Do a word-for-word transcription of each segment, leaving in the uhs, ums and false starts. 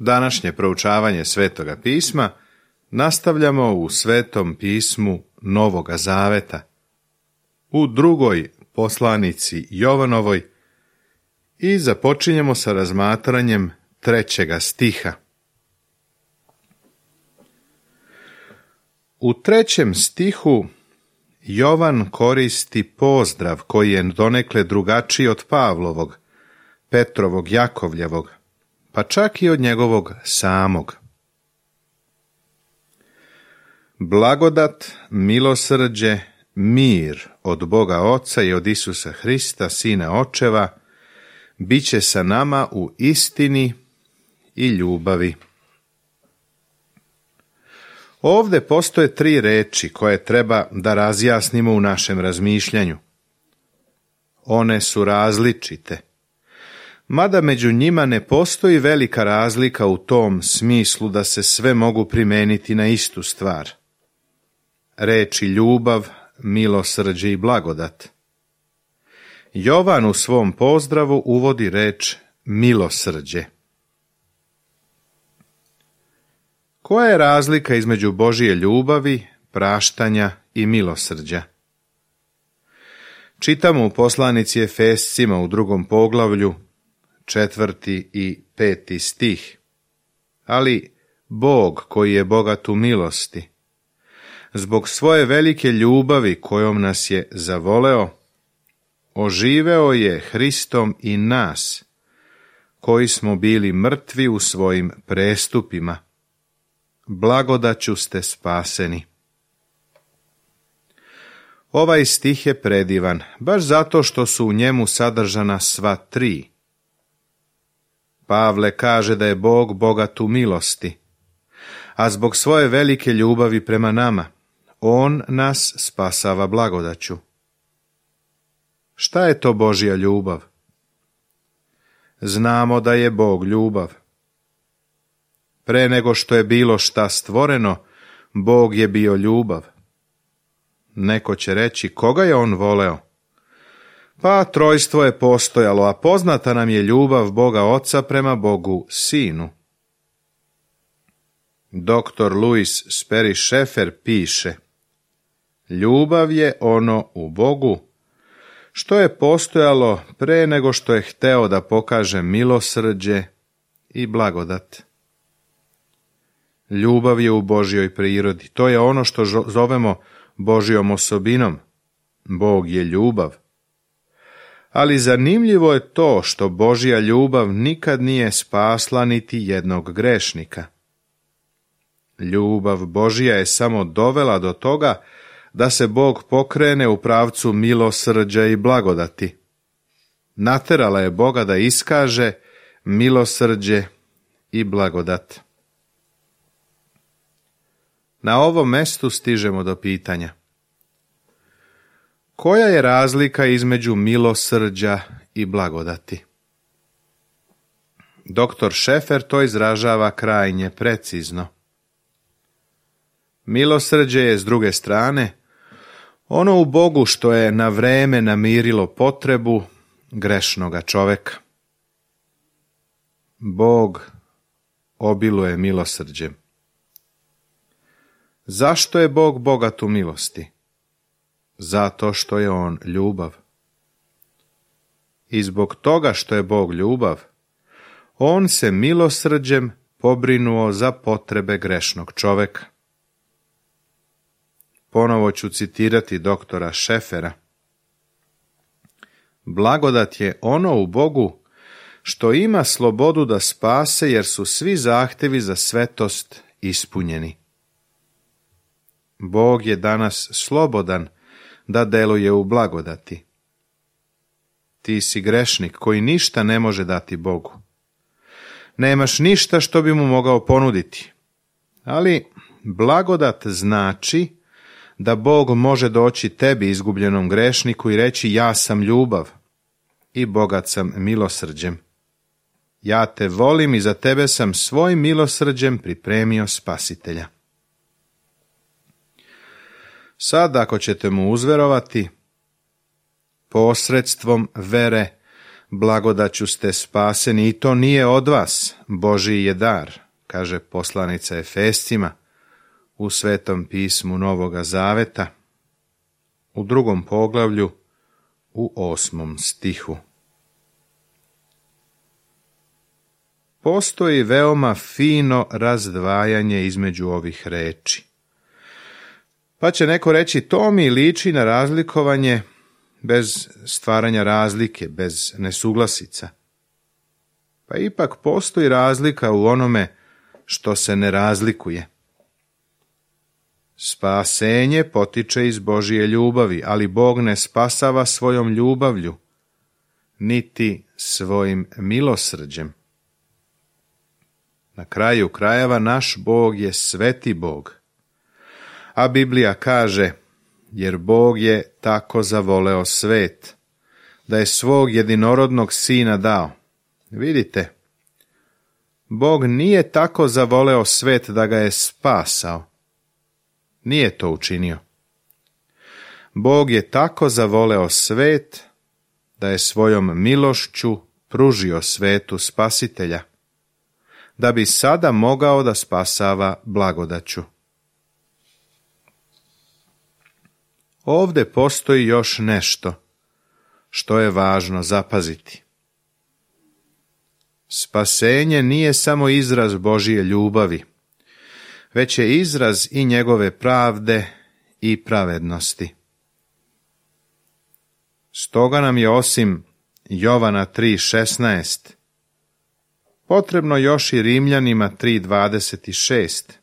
Današnje proučavanje Svetoga pisma nastavljamo u Svetom pismu Novoga Zaveta, u drugoj poslanici Jovanovoj i započinjemo sa razmatranjem trećega stiha. U trećem stihu Jovan koristi pozdrav koji je donekle drugačiji od Pavlovog, Petrovog, Jakovljevog, pa čak i od njegovog samog. Blagodat, milosrđe, mir od Boga Oca i od Isusa Hrista, Sina Očeva, bit će sa nama u istini i ljubavi. Ovde postoje tri reči koje treba da razjasnimo u našem razmišljanju. One su različite, mada među njima ne postoji velika razlika u tom smislu da se sve mogu primeniti na istu stvar. Reči ljubav, milosrđe i blagodat. Jovan u svom pozdravu uvodi reč milosrđe. Koja je razlika između Božije ljubavi, praštanja i milosrđa? Čitamo u poslanici Efescima u drugom poglavlju, četvrti i peti stih. Ali Bog koji je bogat u milosti, zbog svoje velike ljubavi kojom nas je zavoleo, oživeo je Hristom i nas, koji smo bili mrtvi u svojim prestupima. Blagodaću ste spaseni. Ovaj stih je predivan, baš zato što su u njemu sadržana sva tri. Pavle kaže da je Bog bogat u milosti, a zbog svoje velike ljubavi prema nama, On nas spasava blagodaću. Šta je to Božja ljubav? Znamo da je Bog ljubav. Pre nego što je bilo šta stvoreno, Bog je bio ljubav. Neko će reći, koga je on voleo? Pa trojstvo je postojalo, a poznata nam je ljubav Boga Oca prema Bogu Sinu. Doktor Louis Sperry Chafer piše: ljubav je ono u Bogu što je postojalo pre nego što je hteo da pokaže milosrđe i blagodat. Ljubav je u Božjoj prirodi. To je ono što zovemo Božjom osobinom. Bog je ljubav. Ali zanimljivo je to što Božja ljubav nikad nije spasla niti jednog grešnika. Ljubav Božja je samo dovela do toga da se Bog pokrene u pravcu milosrđa i blagodati. Naterala je Boga da iskaže milosrđe i blagodat. Na ovom mestu stižemo do pitanja: koja je razlika između milosrđa i blagodati? Doktor Chafer to izražava krajnje precizno. Milosrđe je, s druge strane, ono u Bogu što je na vreme namirilo potrebu grešnoga čoveka. Bog obiluje milosrđem. Zašto je Bog bogat u milosti? Zato što je On ljubav. I zbog toga što je Bog ljubav, On se milosrđem pobrinuo za potrebe grešnog čoveka. Ponovo ću citirati doktora Scheffera. Blagodat je ono u Bogu što ima slobodu da spase, jer su svi zahtevi za svetost ispunjeni. Bog je danas slobodan da deluje u blagodati. Ti si grešnik koji ništa ne može dati Bogu. Nemaš ništa što bi mu mogao ponuditi. Ali blagodat znači da Bog može doći tebi, izgubljenom grešniku, i reći: ja sam ljubav i bogat sam milosrđem. Ja te volim i za tebe sam svojim milosrđem pripremio spasitelja. Sad, ako ćete mu uzverovati, posredstvom vere Blagodaću ste spaseni i to nije od vas, Božji je dar, kaže poslanica Efescima u Svetom pismu Novoga Zaveta, u drugom poglavlju, u osmom stihu. Postoji veoma fino razdvajanje između ovih reči. Pa će neko reći, to mi liči na razlikovanje bez stvaranja razlike, bez nesuglasica. Pa ipak postoji razlika u onome što se ne razlikuje. Spasenje potiče iz Božije ljubavi, ali Bog ne spasava svojom ljubavlju, niti svojim milosrđem. Na kraju krajeva naš Bog je sveti Bog. A Biblija kaže, jer Bog je tako zavoleo svet, da je svog jedinorodnog sina dao. Vidite, Bog nije tako zavoleo svet da ga je spasao. Nije to učinio. Bog je tako zavoleo svet, da je svojom milošću pružio svetu spasitelja, da bi sada mogao da spasava blagodaću. Ovde postoji još nešto što je važno zapaziti. Spasenje nije samo izraz Božije ljubavi, već je izraz i njegove pravde i pravednosti. Stoga nam je osim Jovana tri šesnaest potrebno još i Rimljanima tri dvadeset šest,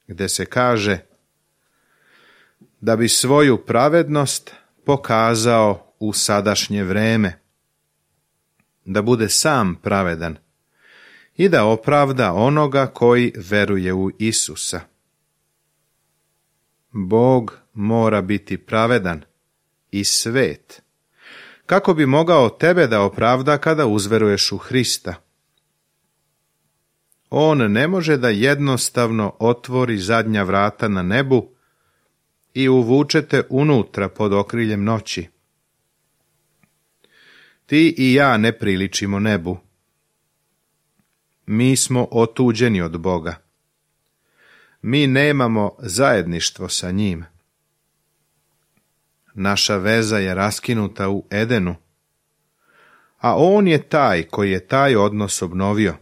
gde se kaže da bi svoju pravednost pokazao u sadašnje vreme, da bude sam pravedan i da opravda onoga koji veruje u Isusa. Bog mora biti pravedan i svet, kako bi mogao tebe da opravda kada uzveruješ u Hrista. On ne može da jednostavno otvori zadnja vrata na nebu i uvučete unutra pod okriljem noći. Ti i ja ne priličimo nebu. Mi smo otuđeni od Boga. Mi nemamo zajedništvo sa njim. Naša veza je raskinuta u Edenu, a on je taj koji je taj odnos obnovio.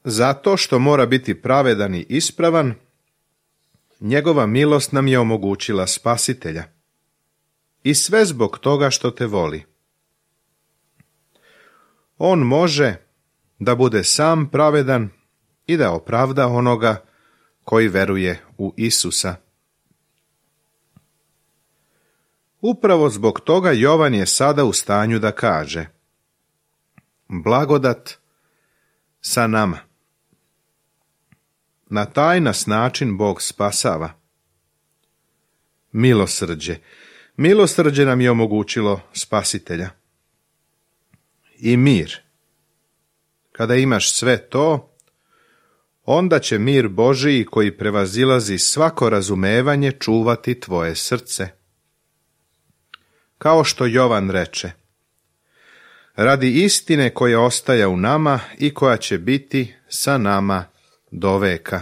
Zato što mora biti pravedan i ispravan, njegova milost nam je omogućila spasitelja. I sve zbog toga što te voli. On može da bude sam pravedan i da opravda onoga koji veruje u Isusa. Upravo zbog toga Jovan je sada u stanju da kaže: blagodat sa nama. Na taj nas način Bog spasava. Milosrđe. Milosrđe nam je omogućilo spasitelja. I mir. Kada imaš sve to, onda će mir Božiji koji prevazilazi svako razumevanje čuvati tvoje srce. Kao što Jovan reče: radi istine koja ostaje u nama i koja će biti sa nama do veka.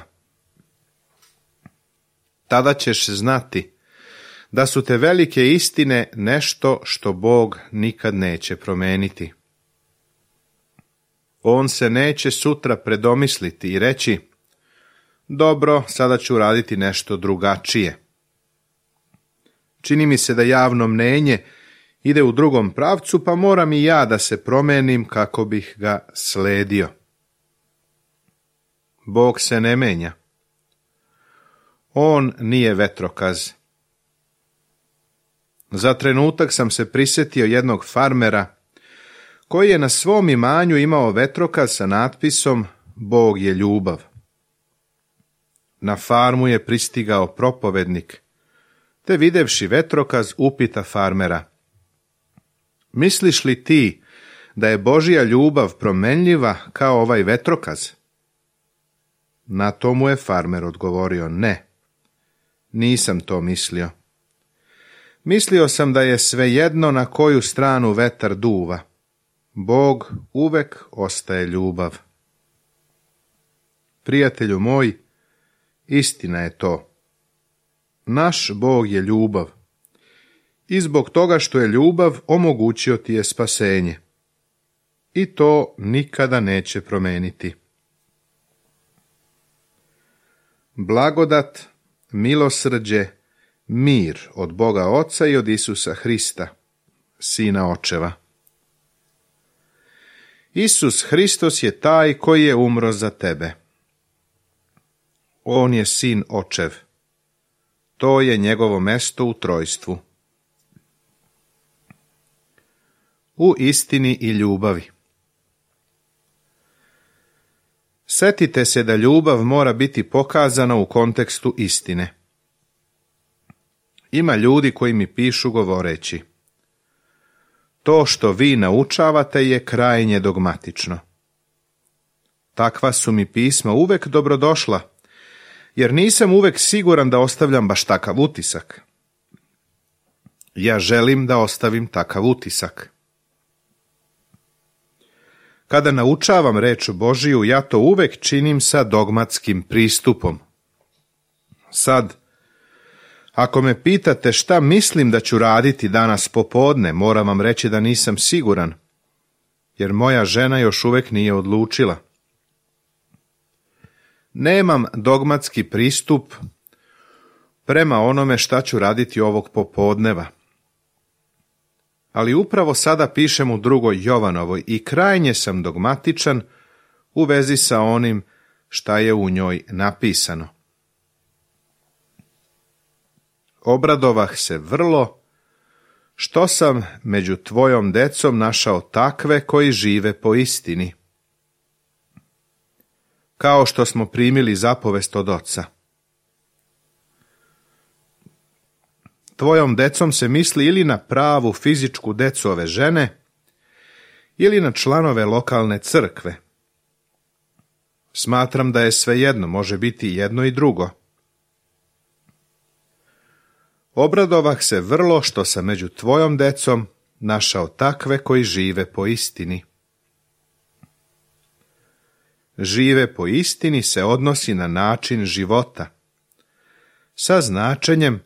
Tada ćeš znati da su te velike istine nešto što Bog nikad neće promeniti. On se neće sutra predomisliti i reći: dobro, sada ću raditi nešto drugačije. Čini mi se da javno mnenje ide u drugom pravcu, pa moram i ja da se promenim kako bih ga sledio. Bog se ne menja. On nije vetrokaz. Za trenutak sam se prisjetio jednog farmera koji je na svom imanju imao vetrokaz sa natpisom Bog je ljubav. Na farmu je pristigao propovednik, te videvši vetrokaz upita farmera: misliš li ti da je Božja ljubav promenljiva kao ovaj vetrokaz? Na to mu je farmer odgovorio: ne, nisam to mislio. Mislio sam da je svejedno na koju stranu vetar duva. Bog uvek ostaje ljubav. Prijatelju moj, istina je to. Naš Bog je ljubav. I zbog toga što je ljubav, omogućio ti je spasenje. I to nikada neće promeniti. Blagodat, milosrđe, mir od Boga Oca i od Isusa Hrista, Sina Očeva. Isus Hristos je taj koji je umro za tebe. On je Sin Očev. To je njegovo mesto u trojstvu. U istini i ljubavi. Setite se da ljubav mora biti pokazana u kontekstu istine. Ima ljudi koji mi pišu govoreći: to što vi naučavate je krajnje dogmatično. Takva su mi pisma uvek dobrodošla, jer nisam uvek siguran da ostavljam baš takav utisak. Ja želim da ostavim takav utisak. Kada naučavam reč Božiju, ja to uvek činim sa dogmatskim pristupom. Sad, ako me pitate šta mislim da ću raditi danas popodne, moram vam reći da nisam siguran, jer moja žena još uvek nije odlučila. Nemam dogmatski pristup prema onome šta ću raditi ovog popodneva. Ali upravo sada pišem u drugoj Jovanovoj i krajnje sam dogmatičan u vezi sa onim šta je u njoj napisano. Obradovah se vrlo što sam među tvojom decom našao takve koji žive po istini, kao što smo primili zapovest od Oca. Tvojom decom se misli ili na pravu fizičku decu ove žene, ili na članove lokalne crkve. Smatram da je svejedno, može biti jedno i drugo. Obradovah se vrlo što sam među tvojom decom našao takve koji žive po istini. Žive po istini se odnosi na način života, sa značenjem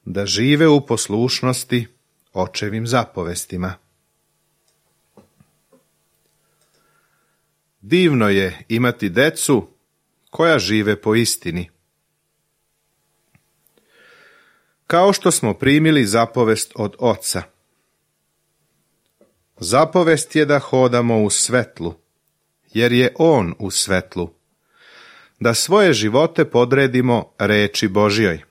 da žive u poslušnosti Očevim zapovestima. Divno je imati decu koja žive po istini. Kao što smo primili zapovest od Oca. Zapovest je da hodamo u svetlu, jer je On u svetlu, da svoje živote podredimo reči Božjoj.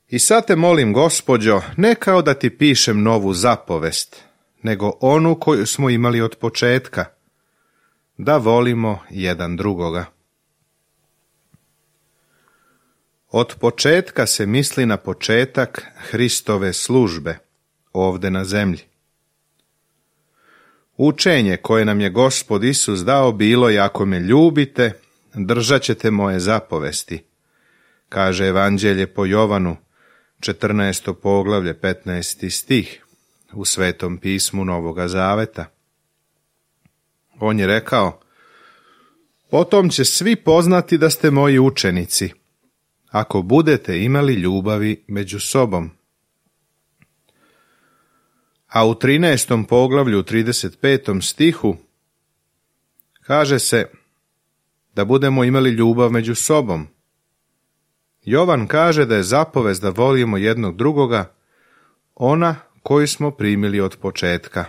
I sad te molim, Gospođo, ne kao da ti pišem novu zapovest, nego onu koju smo imali od početka, da volimo jedan drugoga. Od početka se misli na početak Hristove službe, ovde na zemlji. Učenje koje nam je Gospod Isus dao bilo je: ako me ljubite, držat ćete moje zapovesti, kaže Evanđelje po Jovanu, četrnaesto poglavlje, petnaesti stih, u Svetom pismu Novoga Zaveta. On je rekao: potom će svi poznati da ste moji učenici, ako budete imali ljubavi među sobom. A u trinaestom poglavlju, trideset petom stihu, kaže se da budemo imali ljubav među sobom. Jovan kaže da je zapovest da volimo jednog drugoga ona koju smo primili od početka.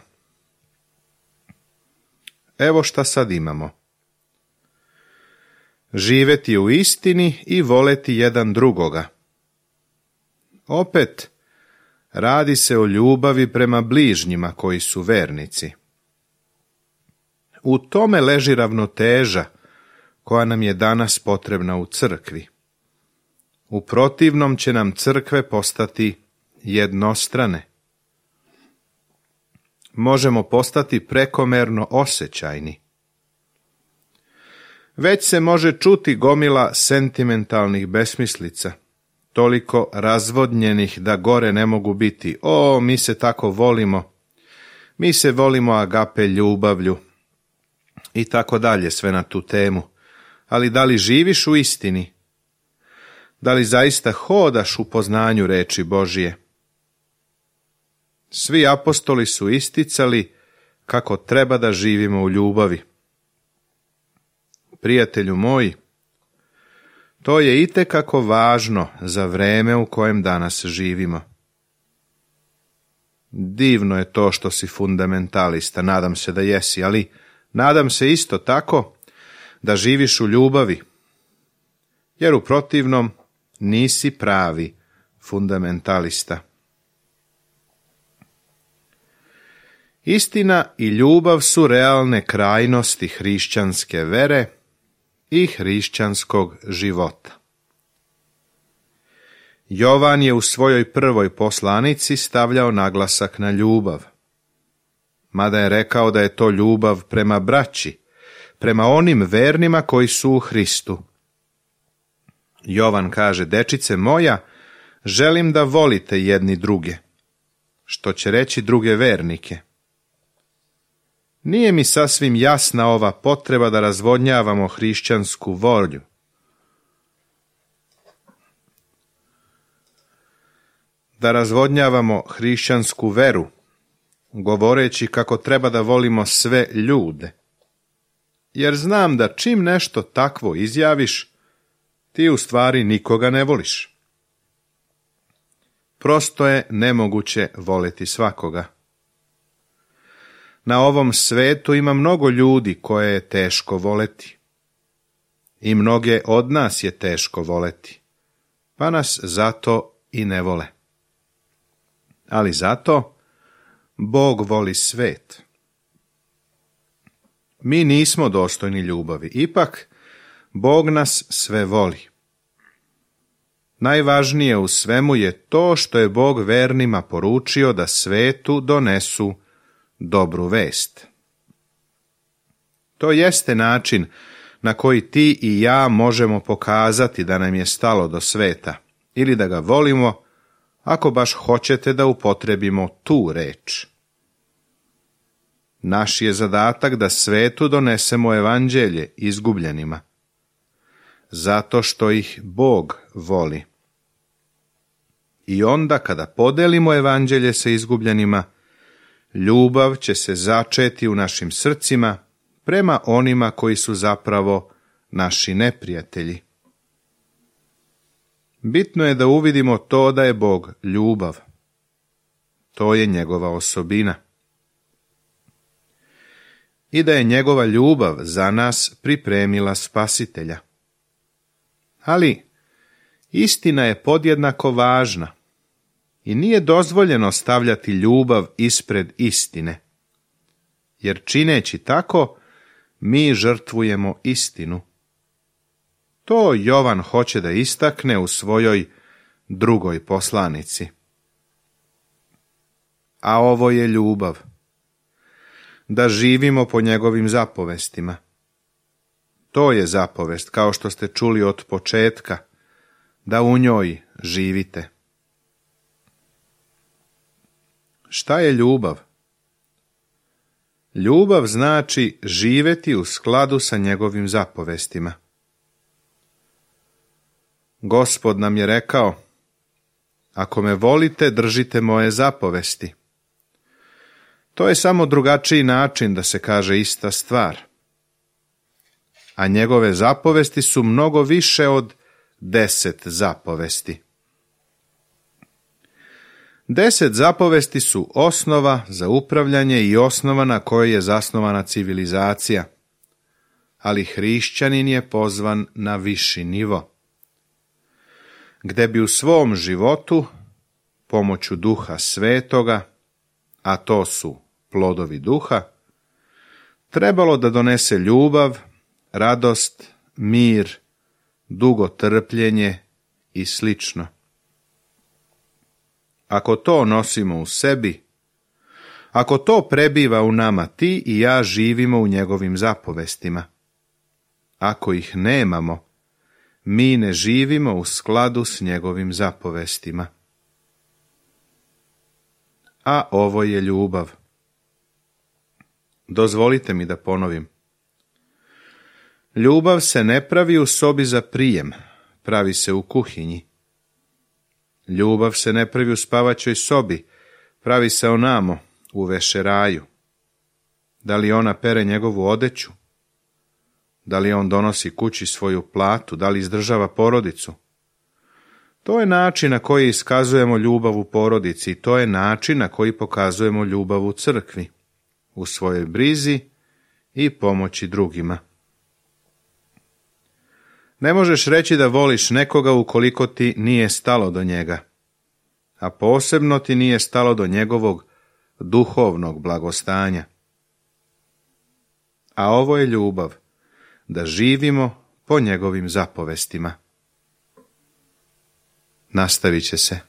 Evo šta sad imamo. Živeti u istini i voleti jedan drugoga. Opet, radi se o ljubavi prema bližnjima koji su vernici. U tome leži ravnoteža koja nam je danas potrebna u crkvi. U protivnom će nam crkve postati jednostrane. Možemo postati prekomerno osjećajni. Već se može čuti gomila sentimentalnih besmislica, toliko razvodnjenih da gore ne mogu biti. O, mi se tako volimo, Mi se volimo agape ljubavlju i tako dalje, sve na tu temu. Ali da li živiš u istini? Da li zaista hodaš u poznanju reči Božije? Svi apostoli su isticali kako treba da živimo u ljubavi. Prijatelju moji, to je itekako važno za vreme u kojem danas živimo. Divno je to što si fundamentalista, nadam se da jesi, ali nadam se isto tako da živiš u ljubavi, jer u protivnom nisi pravi fundamentalista. Istina i ljubav su realne krajnosti hrišćanske vere i hrišćanskog života. Jovan je u svojoj prvoj poslanici stavljao naglasak na ljubav, mada je rekao da je to ljubav prema braći, prema onim vernima koji su u Hristu. Jovan kaže: dečice moja, želim da volite jedni druge, što će reći druge vernike. Nije mi sasvim jasna ova potreba da razvodnjavamo hrišćansku volju. Da razvodnjavamo hrišćansku veru, govoreći kako treba da volimo sve ljude. Jer znam da čim nešto takvo izjaviš, ti u stvari nikoga ne voliš. Prosto je nemoguće voleti svakoga. Na ovom svetu ima mnogo ljudi koje je teško voleti. I mnoge od nas je teško voleti, pa nas zato i ne vole. Ali zato Bog voli svet. Mi nismo dostojni ljubavi, ipak Bog nas sve voli. Najvažnije u svemu je to što je Bog vernima poručio da svetu donesu dobru vest. To jeste način na koji ti i ja možemo pokazati da nam je stalo do sveta, ili da ga volimo, ako baš hoćete da upotrebimo tu reč. Naš je zadatak da svetu donesemo evanđelje izgubljenima, zato što ih Bog voli. I onda kada podelimo evanđelje sa izgubljenima, ljubav će se začeti u našim srcima prema onima koji su zapravo naši neprijatelji. Bitno je da uvidimo to da je Bog ljubav. To je njegova osobina. I da je njegova ljubav za nas pripremila spasitelja. Ali istina je podjednako važna i nije dozvoljeno stavljati ljubav ispred istine, jer čineći tako mi žrtvujemo istinu. To Jovan hoće da istakne u svojoj drugoj poslanici. A ovo je ljubav, da živimo po njegovim zapovestima. To je zapovest, kao što ste čuli od početka, da u njoj živite. Šta je ljubav? Ljubav znači živeti u skladu sa njegovim zapovestima. Gospod nam je rekao: ako me volite, držite moje zapovesti. To je samo drugačiji način da se kaže ista stvar. A njegove zapovesti su mnogo više od deset zapovesti. Deset zapovesti su osnova za upravljanje i osnova na kojoj je zasnovana civilizacija, ali hrišćanin je pozvan na viši nivo, gde bi u svom životu, pomoću Duha Svetoga, a to su plodovi duha, trebalo da donese ljubav, radost, mir, dugotrpljenje i slično. Ako to nosimo u sebi, ako to prebiva u nama, ti i ja živimo u njegovim zapovestima. Ako ih nemamo, mi ne živimo u skladu s njegovim zapovestima. A ovo je ljubav. Dozvolite mi da ponovim. Ljubav se ne pravi u sobi za prijem, pravi se u kuhinji. Ljubav se ne pravi u spavaćoj sobi, pravi se onamo, u vešeraju. Da li ona pere njegovu odeću? Da li on donosi kući svoju platu? Da li izdržava porodicu? To je način na koji iskazujemo ljubav u porodici, to je način na koji pokazujemo ljubav u crkvi, u svojoj brizi i pomoći drugima. Ne možeš reći da voliš nekoga ukoliko ti nije stalo do njega, a posebno ti nije stalo do njegovog duhovnog blagostanja. A ovo je ljubav, da živimo po njegovim zapovestima. Nastavit će se.